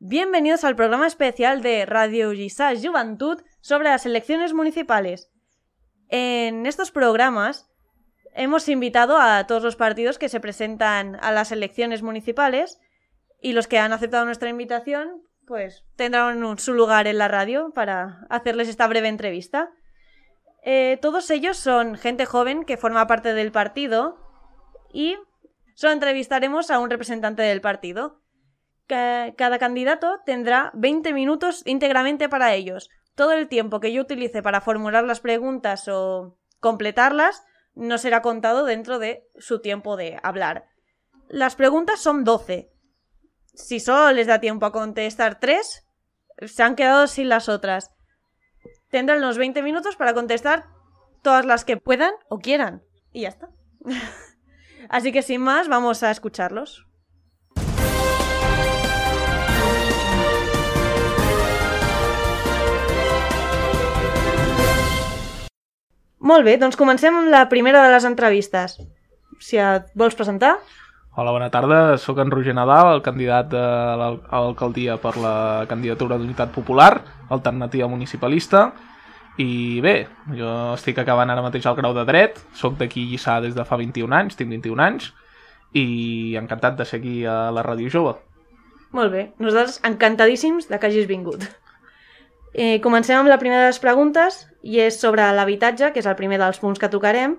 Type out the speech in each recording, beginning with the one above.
Bienvenidos al programa especial de Radio Lliçà Juventud sobre las elecciones municipales. En estos programas hemos invitado a todos los partidos que se presentan a las elecciones municipales y los que han aceptado nuestra invitación pues tendrán su lugar en la radio para hacerles esta breve entrevista. Todos ellos son gente joven que forma parte del partido y solo entrevistaremos a un representante del partido. Cada candidato tendrá 20 minutos íntegramente para ellos. Todo el tiempo que yo utilice para formular las preguntas o completarlas no será contado dentro de su tiempo de hablar. Las preguntas son 12. Si solo les da tiempo a contestar 3, se han quedado sin las otras. Tendrán los 20 minutos para contestar todas las que puedan o quieran. Y ya está. Así que sin más, vamos a escucharlos. Molt bé, doncs comencem amb la primera de les entrevistes. Si et vols presentar? Hola, bona tarda. Soc en Roger Nadal, el candidat a l'alcaldia per la candidatura d'Unitat Popular, alternativa municipalista. I bé, jo estic acabant ara mateix el grau de Dret, soc d'aquí Lliçà des de fa 21 anys, tinc 21 anys, i encantat de ser aquí a la Ràdio Jove. Molt bé, nosaltres encantadíssims de que hagis vingut. Comencem amb la primera de les preguntes, i és sobre l'habitatge, que és el primer dels punts que tocarem.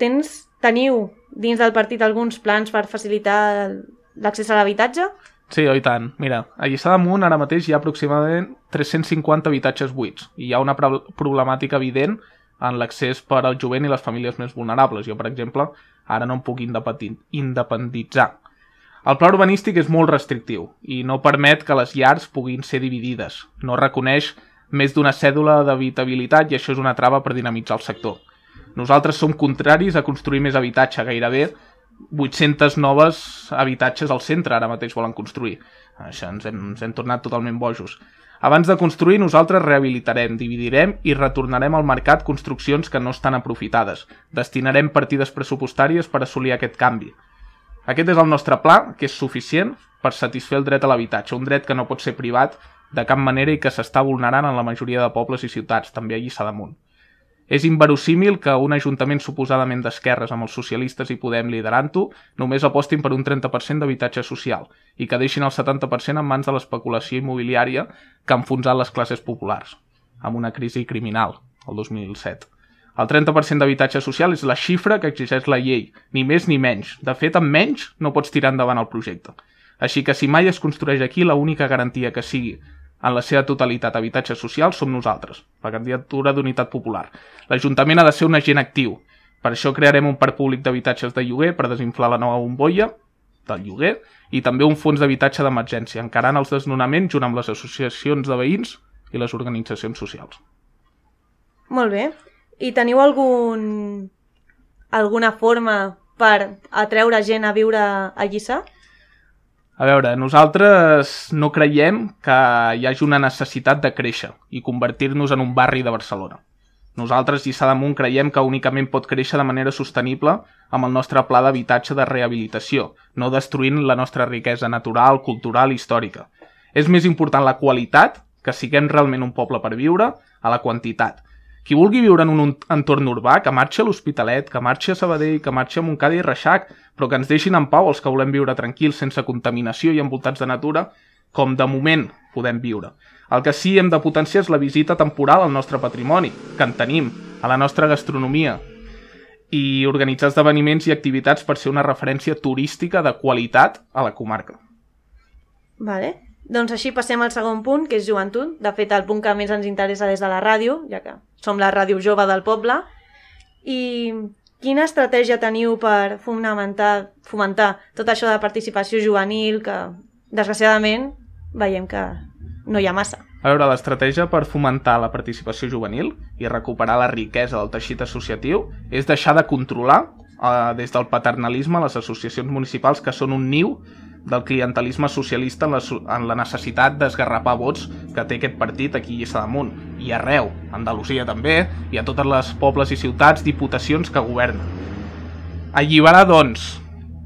Teniu dins del partit alguns plans per facilitar l'accés a l'habitatge? Sí, i tant. Mira, a Lliçà d'Amunt ara mateix hi ha aproximadament 350 habitatges buits i hi ha una problemàtica evident en l'accés per al jovent i les famílies més vulnerables. Jo, per exemple, ara no em puc independitzar. El pla urbanístic és molt restrictiu i no permet que les llars puguin ser dividides. No reconeix més d'una cèdula d'habitabilitat i això és una trava per dinamitzar el sector. Nosaltres som contraris a construir més habitatge, gairebé 800 noves habitatges al centre ara mateix volen construir. Això ens hem tornat totalment bojos. Abans de construir, nosaltres rehabilitarem, dividirem i retornarem al mercat construccions que no estan aprofitades. Destinarem partides pressupostàries per assolir aquest canvi. Aquest és el nostre pla, que és suficient per satisfer el dret a l'habitatge, un dret que no pot ser privat de cap manera i que s'està vulnerant en la majoria de pobles i ciutats, també a Lliçà d'Amunt. És inverosímil que un ajuntament suposadament d'esquerres amb els socialistes i Podem liderant-ho només apostin per un 30% d'habitatge social i que deixin el 70% en mans de l'especulació immobiliària que ha enfonsat les classes populars, amb una crisi criminal, el 2007. El 30% d'habitatge social és la xifra que exigeix la llei, ni més ni menys. De fet, amb menys no pots tirar endavant el projecte. Així que si mai es construeix aquí, l'única garantia que sigui en la seva totalitat habitatge social som nosaltres, la candidatura d'Unitat Popular. L'Ajuntament ha de ser un agent actiu. Per això crearem un parc públic d'habitatges de lloguer per desinflar la nova bombolla del lloguer i també un fons d'habitatge d'emergència, encarant els desnonaments junt amb les associacions de veïns i les organitzacions socials. Molt bé. I teniu alguna forma per atreure gent a viure a Lliçà? A veure, nosaltres no creiem que hi hagi una necessitat de créixer i convertir-nos en un barri de Barcelona. Nosaltres, Lliçà d'Amunt, creiem que únicament pot créixer de manera sostenible amb el nostre pla d'habitatge de rehabilitació, no destruint la nostra riquesa natural, cultural i històrica. És més important la qualitat, que siguem realment un poble per viure, a la quantitat. Qui vulgui viure en un entorn urbà, que marxi a l'Hospitalet, que marxi a Sabadell, que marxi a Montcada i Reixac, però que ens deixin en pau els que volem viure tranquils, sense contaminació i envoltats de natura, com de moment podem viure. El que sí hem de potenciar és la visita temporal al nostre patrimoni, que en tenim, a la nostra gastronomia, i organitzar esdeveniments i activitats per ser una referència turística de qualitat a la comarca. Vale. Doncs així passem al segon punt, que és joventut. De fet, el punt que més ens interessa des de la ràdio, ja que som la ràdio jove del poble. I quina estratègia teniu per fomentar tot això de participació juvenil, que desgraciadament veiem que no hi ha massa? A veure, l'estratègia per fomentar la participació juvenil i recuperar la riquesa del teixit associatiu és deixar de controlar des del paternalisme les associacions municipals que són un niu del clientelisme socialista en la necessitat d'esgarrapar vots que té aquest partit aquí a Lliçà d'Amunt i arreu, a Andalusia també, i a totes les pobles i ciutats, diputacions que governen. Alliberar, doncs,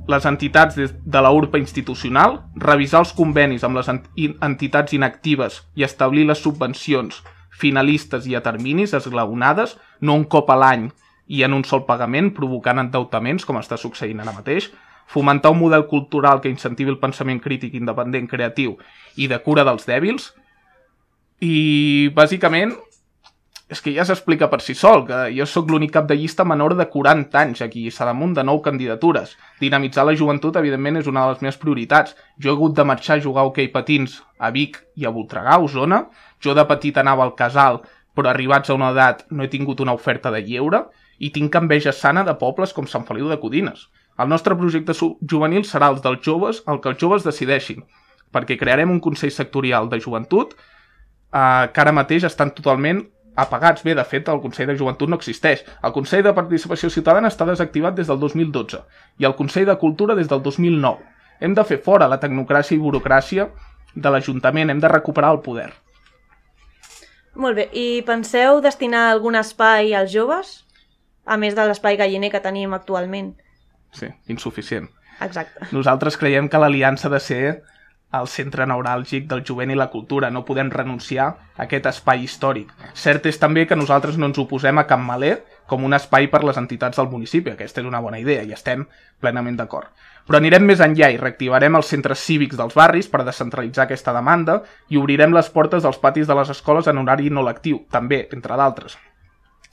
les entitats de la URPA institucional, revisar els convenis amb les entitats inactives i establir les subvencions finalistes i a terminis esglaonades, no un cop a l'any i en un sol pagament, provocant endeutaments, com està succeint ara mateix, fomentar un model cultural que incentivi el pensament crític independent, creatiu i de cura dels dèbils. I, bàsicament, és que ja s'explica per si sol, que jo sóc l'únic cap de llista menor de 40 anys aquí a Sadamunt de 9 candidatures. Dinamitzar la joventut, evidentment, és una de les meves prioritats. Jo he hagut de marxar a jugar a hoquei patins a Vic i a Voltregà, a Osona. Jo de petit anava al casal, però arribats a una edat no he tingut una oferta de lleure i tinc enveja sana de pobles com Sant Feliu de Codines. El nostre projecte juvenil serà el dels joves, el que els joves decideixin, perquè crearem un Consell Sectorial de Joventut que ara mateix estan totalment apagats. Bé, de fet, el Consell de Joventut no existeix. El Consell de Participació Ciutadana està desactivat des del 2012 i el Consell de Cultura des del 2009. Hem de fer fora la tecnocràcia i burocràcia de l'Ajuntament, hem de recuperar el poder. Molt bé, i penseu destinar algun espai als joves? A més de l'espai galliner que tenim actualment. Sí, insuficient. Exacte. Nosaltres creiem que l'Aliança ha de ser el centre neuràlgic del jovent i la cultura. No podem renunciar a aquest espai històric. Cert és també que nosaltres no ens oposem a Campmaler com un espai per les entitats del municipi. Aquesta és una bona idea i estem plenament d'acord. Però anirem més enllà i reactivarem els centres cívics dels barris per descentralitzar aquesta demanda i obrirem les portes dels patis de les escoles en horari no lectiu, també, entre d'altres.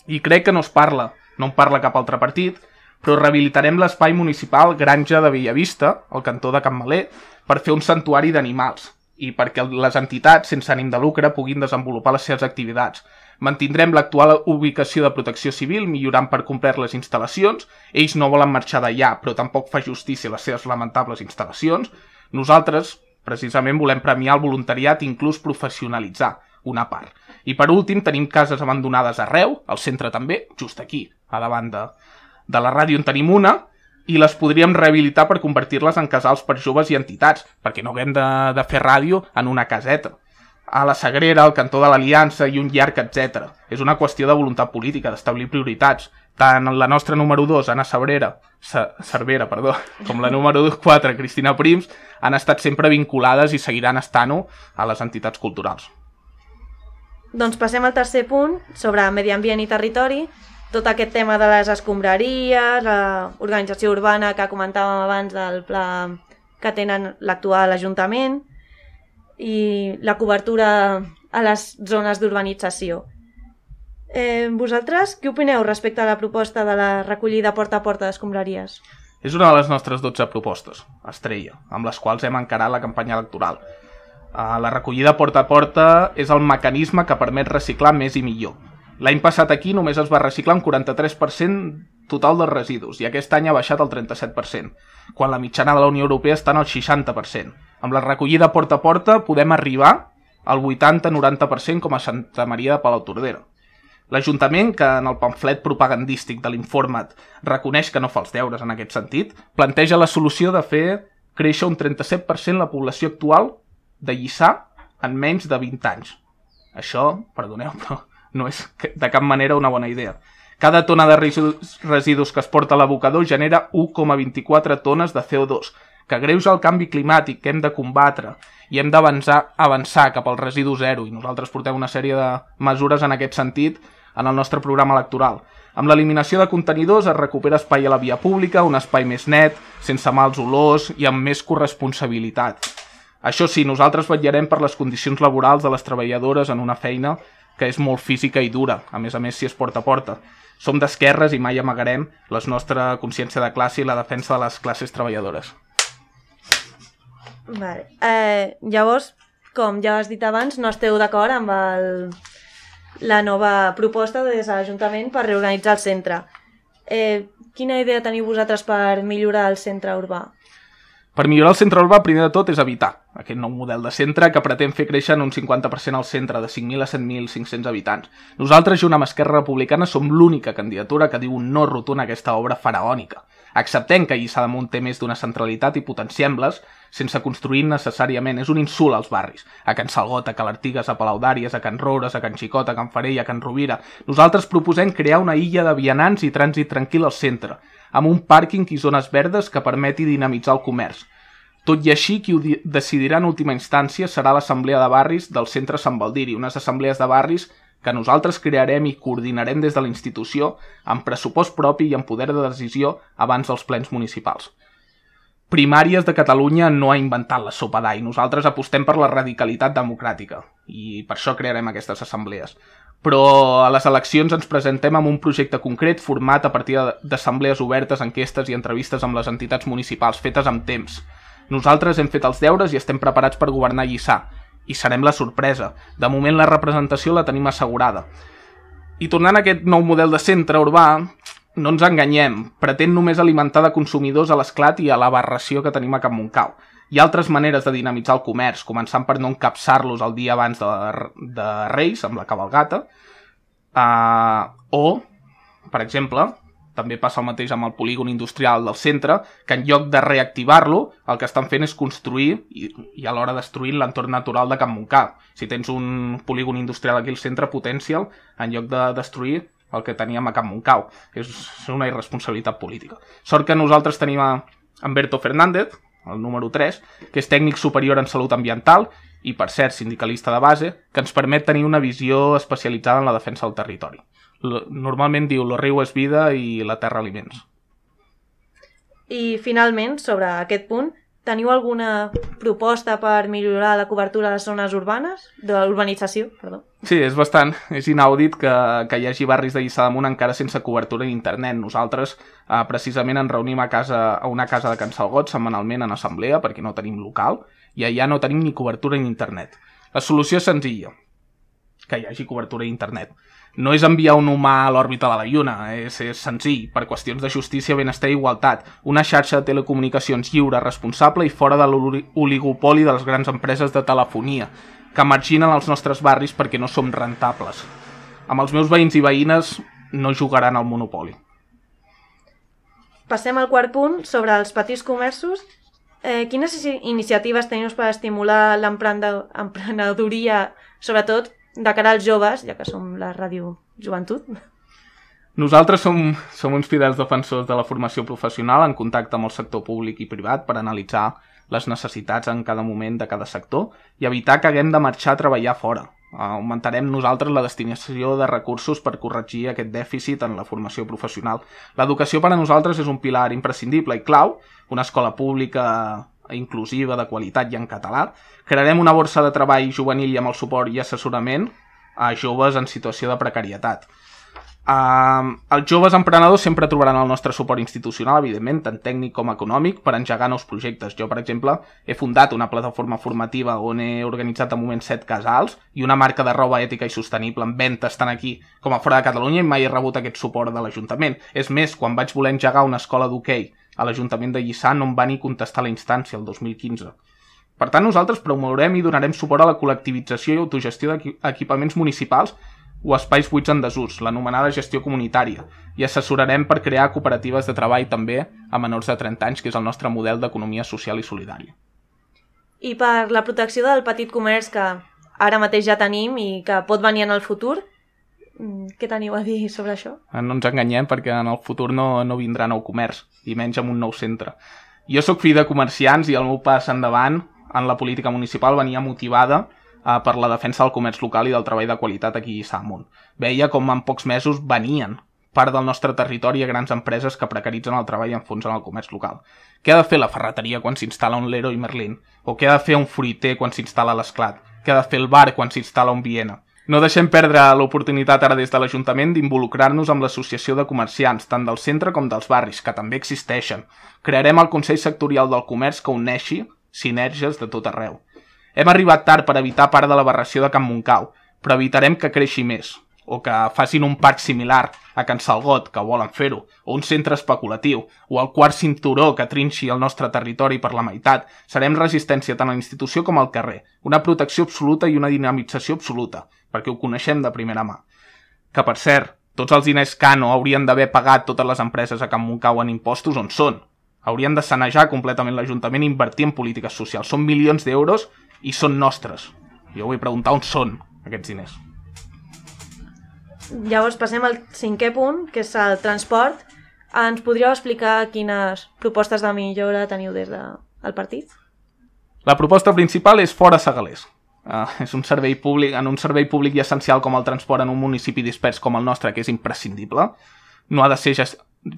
I crec que no en parla cap altre partit, però rehabilitarem l'espai municipal Granja de Bellavista, al cantó de Campmaler, per fer un santuari d'animals i perquè les entitats sense ànim de lucre puguin desenvolupar les seves activitats. Mantindrem l'actual ubicació de Protecció Civil, millorant per complet les instal·lacions. Ells no volen marxar d'allà, però tampoc fa justícia a les seves lamentables instal·lacions. Nosaltres, precisament, volem premiar el voluntariat i inclús professionalitzar una part. I per últim, tenim cases abandonades arreu, al centre també, just aquí, a davant de la ràdio en tenim una, i les podríem rehabilitar per convertir-les en casals per joves i entitats, perquè no haguem de fer ràdio en una caseta. A la Sagrera, al cantó de l'Aliança i un llarg, etc. És una qüestió de voluntat política, d'establir prioritats. Tant la nostra número 2, Anna Cervera, com la número 4, Cristina Prims, han estat sempre vinculades i seguiran estant-ho a les entitats culturals. Doncs passem al tercer punt, sobre medi ambient i territori. Tot aquest tema de les escombraries, l'organització urbana que comentàvem abans del pla que tenen l'actual Ajuntament i la cobertura a les zones d'urbanització. Vosaltres, què opineu respecte a la proposta de la recollida porta a porta d'escombraries? És una de les nostres 12 propostes, estrella, amb les quals hem encarat la campanya electoral. La recollida porta a porta és el mecanisme que permet reciclar més i millor. L'any passat aquí només es va reciclar un 43% total dels residus i aquest any ha baixat al 37%, quan la mitjana de la Unió Europea està en el 60%. Amb la recollida porta a porta podem arribar al 80-90% com a Santa Maria de Palautordera. L'Ajuntament, que en el pamflet propagandístic de l'informe reconeix que no fa els deures en aquest sentit, planteja la solució de fer créixer un 37% la població actual de Lliçà en menys de 20 anys. Això, perdoneu, però no és de cap manera una bona idea. Cada tona de residus que es porta a l'abocador genera 1,24 tones de CO2, que greuja el canvi climàtic que hem de combatre i hem d'avançar cap al residu zero, i nosaltres portem una sèrie de mesures en aquest sentit en el nostre programa electoral. Amb l'eliminació de contenidors es recupera espai a la via pública, un espai més net, sense mals olors i amb més corresponsabilitat. Això sí, nosaltres vetllarem per les condicions laborals de les treballadores en una feina que és molt física i dura, a més si és porta a porta. Som d'esquerres i mai amagarem la nostra consciència de classe i la defensa de les classes treballadores. Vale. Llavors, com ja has dit abans, no esteu d'acord amb la nova proposta des de l'Ajuntament per reorganitzar el centre. Quina idea teniu vosaltres per millorar el centre urbà? Per millorar el centre urbà, primer de tot, és evitar aquest nou model de centre que pretén fer créixer en un 50% al centre, de 5.000 a 7.500 habitants. Nosaltres, junt amb Esquerra Republicana, som l'única candidatura que diu un no rotund a aquesta obra faraònica. Acceptem que Lliçà d'Amunt té més d'una centralitat i potenciem-les sense construir necessàriament. És un insult als barris. A Can Salgot, a Cal Artigues, a Palau d'Àries, a Can Roures, a Can Xicot, a Can Farell, a Can Rovira. Nosaltres proposem crear una illa de vianants i trànsit tranquil al centre. amb un pàrquing i zones verdes que permeti dinamitzar el comerç. Tot i així, qui ho decidirà en última instància serà l'Assemblea de Barris del Centre Sant Baldiri, unes assemblees de barris que nosaltres crearem i coordinarem des de la institució amb pressupost propi i amb poder de decisió abans dels plens municipals. Primàries de Catalunya no ha inventat la sopa d'all. Nosaltres apostem per la radicalitat democràtica i per això crearem aquestes assemblees. Però a les eleccions ens presentem amb un projecte concret format a partir d'assemblees obertes, enquestes i entrevistes amb les entitats municipals fetes amb temps. Nosaltres hem fet els deures i estem preparats per governar Lliçà. I serem la sorpresa. De moment la representació la tenim assegurada. I tornant a aquest nou model de centre urbà, no ens enganyem, pretén només alimentar de consumidors a l'Esclat i a l'aberració que tenim a Can Montcau. Hi ha altres maneres de dinamitzar el comerç, començant per no encapçar-los el dia abans de Reis, amb la cavalgata, o, per exemple, també passa el mateix amb el polígon industrial del centre, que en lloc de reactivar-lo, el que estan fent és construir i alhora destruint l'entorn natural de Can Montcau. Si tens un polígon industrial aquí al centre, potencia'l, en lloc de destruir el que teníem a Can Montcau. És una irresponsabilitat política. Sort que nosaltres tenim en Berto Fernández, el número 3, que és tècnic superior en salut ambiental i, per cert, sindicalista de base, que ens permet tenir una visió especialitzada en la defensa del territori. Normalment diu «Lo riu és vida i la terra aliments». I, finalment, sobre aquest punt, teniu alguna proposta per millorar la cobertura de les zones urbanes? De l'urbanització, perdó. Sí, és inaudit que hi hagi barris de Lliçà d'Amunt encara sense cobertura d'internet. Nosaltres precisament ens reunim a una casa de Can Salgot setmanalment en assemblea perquè no tenim local i allà no tenim ni cobertura d'internet. La solució és senzilla, que hi hagi cobertura d'internet. No és enviar un humà a l'òrbita de la Lluna, és senzill, per qüestions de justícia, benestar i igualtat. Una xarxa de telecomunicacions lliure, responsable i fora de l'oligopoli de les grans empreses de telefonia, que marginen els nostres barris perquè no som rentables. Amb els meus veïns i veïnes no jugaran al monopoli. Passem al quart punt, sobre els petits comerços. Quines iniciatives teniu per estimular l'emprenedoria, sobretot de cara als joves, ja que som la ràdio joventut? Nosaltres som uns fidels defensors de la formació professional en contacte amb el sector públic i privat per analitzar les necessitats en cada moment de cada sector i evitar que haguem de marxar a treballar fora. Augmentarem nosaltres la destinació de recursos per corregir aquest dèficit en la formació professional. L'educació per a nosaltres és un pilar imprescindible i clau, una escola pública inclusiva, de qualitat i en català. Crearem una borsa de treball juvenil i amb el suport i assessorament a joves en situació de precarietat. Els joves emprenedors sempre trobaran el nostre suport institucional, evidentment, tant tècnic com econòmic, per engegar nous projectes. Jo, per exemple, he fundat una plataforma formativa on he organitzat de moment 7 casals i una marca de roba ètica i sostenible en ventes tant aquí com a fora de Catalunya i mai he rebut aquest suport de l'Ajuntament. És més, quan vaig voler engegar una escola d'hoquei a l'Ajuntament de Lliçà no em va ni contestar la instància el 2015. Per tant, nosaltres promourem i donarem suport a la col·lectivització i autogestió d'equipaments municipals o espais buits en desús, l'anomenada gestió comunitària, i assessorarem per crear cooperatives de treball també a menors de 30 anys, que és el nostre model d'economia social i solidària. I per la protecció del petit comerç que ara mateix ja tenim i que pot venir en el futur, què teniu a dir sobre això? No ens enganyem perquè en el futur no vindrà nou comerç, i menys amb un nou centre. Jo sóc fill de comerciants i el meu pas endavant en la política municipal venia motivada per la defensa del comerç local i del treball de qualitat aquí a Lliçà d'Amunt. Veia com en pocs mesos venien part del nostre territori a grans empreses que precaritzen el treball i enfonsen el comerç local. Què ha de fer la ferreteria quan s'instal·la un Leroy Merlin? O què ha de fer un fruiter quan s'instal·la a l'Esclat? Què ha de fer el bar quan s'instal·la un Viena? No deixem perdre l'oportunitat ara des de l'Ajuntament d'involucrar-nos amb l'associació de comerciants, tant del centre com dels barris, que també existeixen. Crearem el Consell Sectorial del Comerç que uneixi sinergies de tot arreu. Hem arribat tard per evitar part de l'aberració de Can Montcau, però evitarem que creixi més, o que facin un parc similar a Can Salgot, que volen fer-ho, o un centre especulatiu, o el quart cinturó que trinxi el nostre territori per la meitat. Serem resistència tant a la institució com al carrer, una protecció absoluta i una dinamització absoluta, perquè ho coneixem de primera mà. Que, per cert, tots els diners que no haurien d'haver pagat totes les empreses a Can Montcau en impostos, on són? Haurien de sanejar completament l'Ajuntament i invertir en polítiques socials. Són milions d'euros i són nostres. Jo vull preguntar on són aquests diners. Llavors passem al 5è punt, que és el transport. Ens podríeu explicar quines propostes de millora teniu des del partit? La proposta principal és fora Segalers. És un servei públic, en un servei públic i essencial com el transport en un municipi dispers com el nostre, que és imprescindible, no ha de ser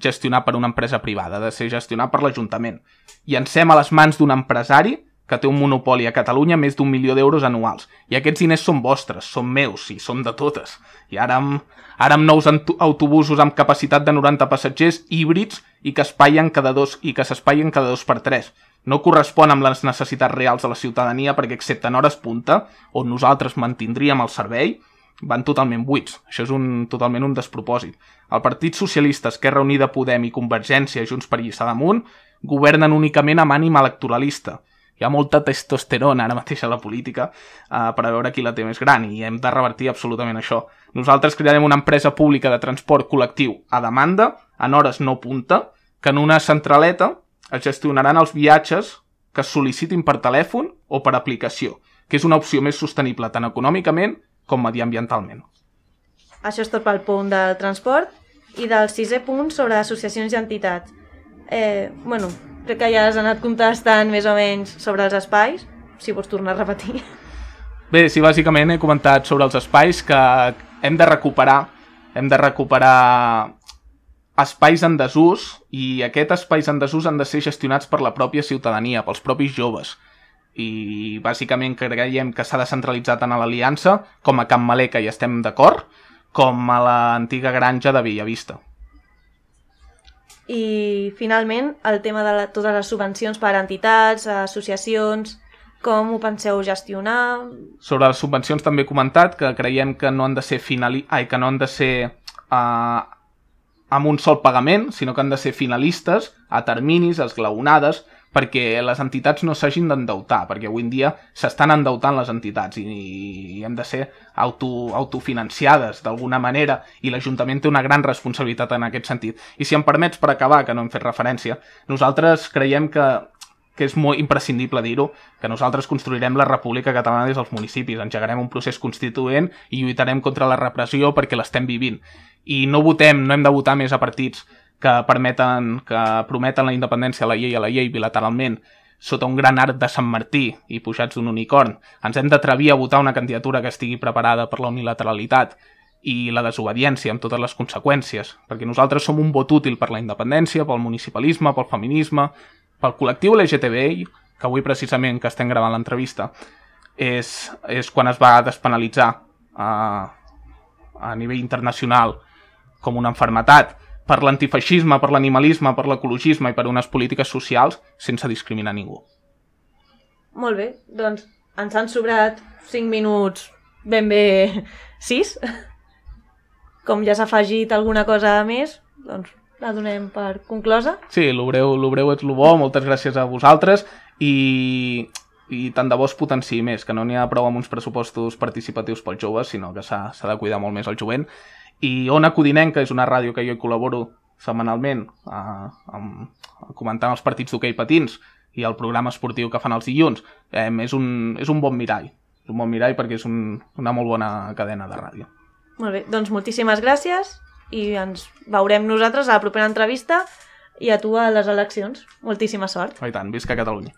gestionat per una empresa privada, ha de ser gestionat per l'Ajuntament. Llancem a les mans d'un empresari que té un monopoli a Catalunya més d'1 milió d'euros anuals. I aquests diners són vostres, són meus i són de totes. I ara amb nous autobusos amb capacitat de 90 passatgers híbrids i que s'espaien cada 2 per 3. No correspon amb les necessitats reals de la ciutadania perquè, excepte en hores punta, on nosaltres mantindríem el servei, van totalment buits. Això és totalment un despropòsit. El Partit Socialista, Esquerra Unida, Podem i Convergència, Junts per Lliçà d'Amunt, governen únicament amb ànim electoralista. Hi ha molta testosterona ara mateix a la política per a veure qui la té més gran i hem de revertir absolutament això. Nosaltres crearem una empresa pública de transport col·lectiu a demanda, en hores no punta, que en una centraleta es gestionaran els viatges que es sol·licitin per telèfon o per aplicació, que és una opció més sostenible tant econòmicament com mediambientalment. Això és tot pel punt del transport i del 6è punt sobre associacions i entitats. Crec que ja has anat contestant més o menys sobre els espais, si vols tornar a repetir. Bé, sí, bàsicament he comentat sobre els espais que hem de recuperar espais en desús i aquests espais en desús han de ser gestionats per la pròpia ciutadania, pels propis joves. I bàsicament creiem que s'ha de centralitzar tant a l'Aliança com a Can Malé, que hi estem d'acord, com a l'antiga granja de Bellavista. I finalment el tema de totes les subvencions per a entitats, associacions, com ho penseu gestionar? Sobre les subvencions també he comentat que creiem que no han de ser amb un sol pagament, sinó que han de ser finalistes, a terminis, esglaonades, perquè les entitats no s'hagin d'endeutar, perquè avui en dia s'estan endeutant les entitats i hem de ser autofinanciades d'alguna manera i l'Ajuntament té una gran responsabilitat en aquest sentit. I si em permets, per acabar, que no hem fet referència, nosaltres creiem que és molt imprescindible dir-ho, que nosaltres construirem la República Catalana des dels municipis, engegarem un procés constituent i lluitarem contra la repressió perquè l'estem vivint. I no hem de votar més a partits que prometen la independència a la llei bilateralment sota un gran arc de Sant Martí i pujats d'un unicorn. Ens hem d'atrevir a votar una candidatura que estigui preparada per la unilateralitat i la desobediència amb totes les conseqüències, perquè nosaltres som un vot útil per la independència, pel municipalisme, pel feminisme, pel col·lectiu LGTBI, que avui precisament que estem gravant l'entrevista és quan es va despenalitzar a nivell internacional com una malaltia, per l'antifeixisme, per l'animalisme, per l'ecologisme i per unes polítiques socials sense discriminar ningú. Molt bé, doncs ens han sobrat 5 minuts, ben bé 6. Com ja s'ha afegit alguna cosa més, doncs la donem per conclosa. Sí, lo breu és lo bo, moltes gràcies a vosaltres i tant de bo es potenciï més, que no n'hi ha prou amb uns pressupostos participatius pels joves, sinó que s'ha de cuidar molt més el jovent. I Ona Codinenca és una ràdio que jo hi col·laboro setmanalment comentant els partits d'hoquei patins i el programa esportiu que fan els dilluns. És un bon mirall. És un bon mirall perquè és una molt bona cadena de ràdio. Molt bé, doncs moltíssimes gràcies i ens veurem nosaltres a la propera entrevista i a tu a les eleccions. Moltíssima sort. I tant, visca Catalunya.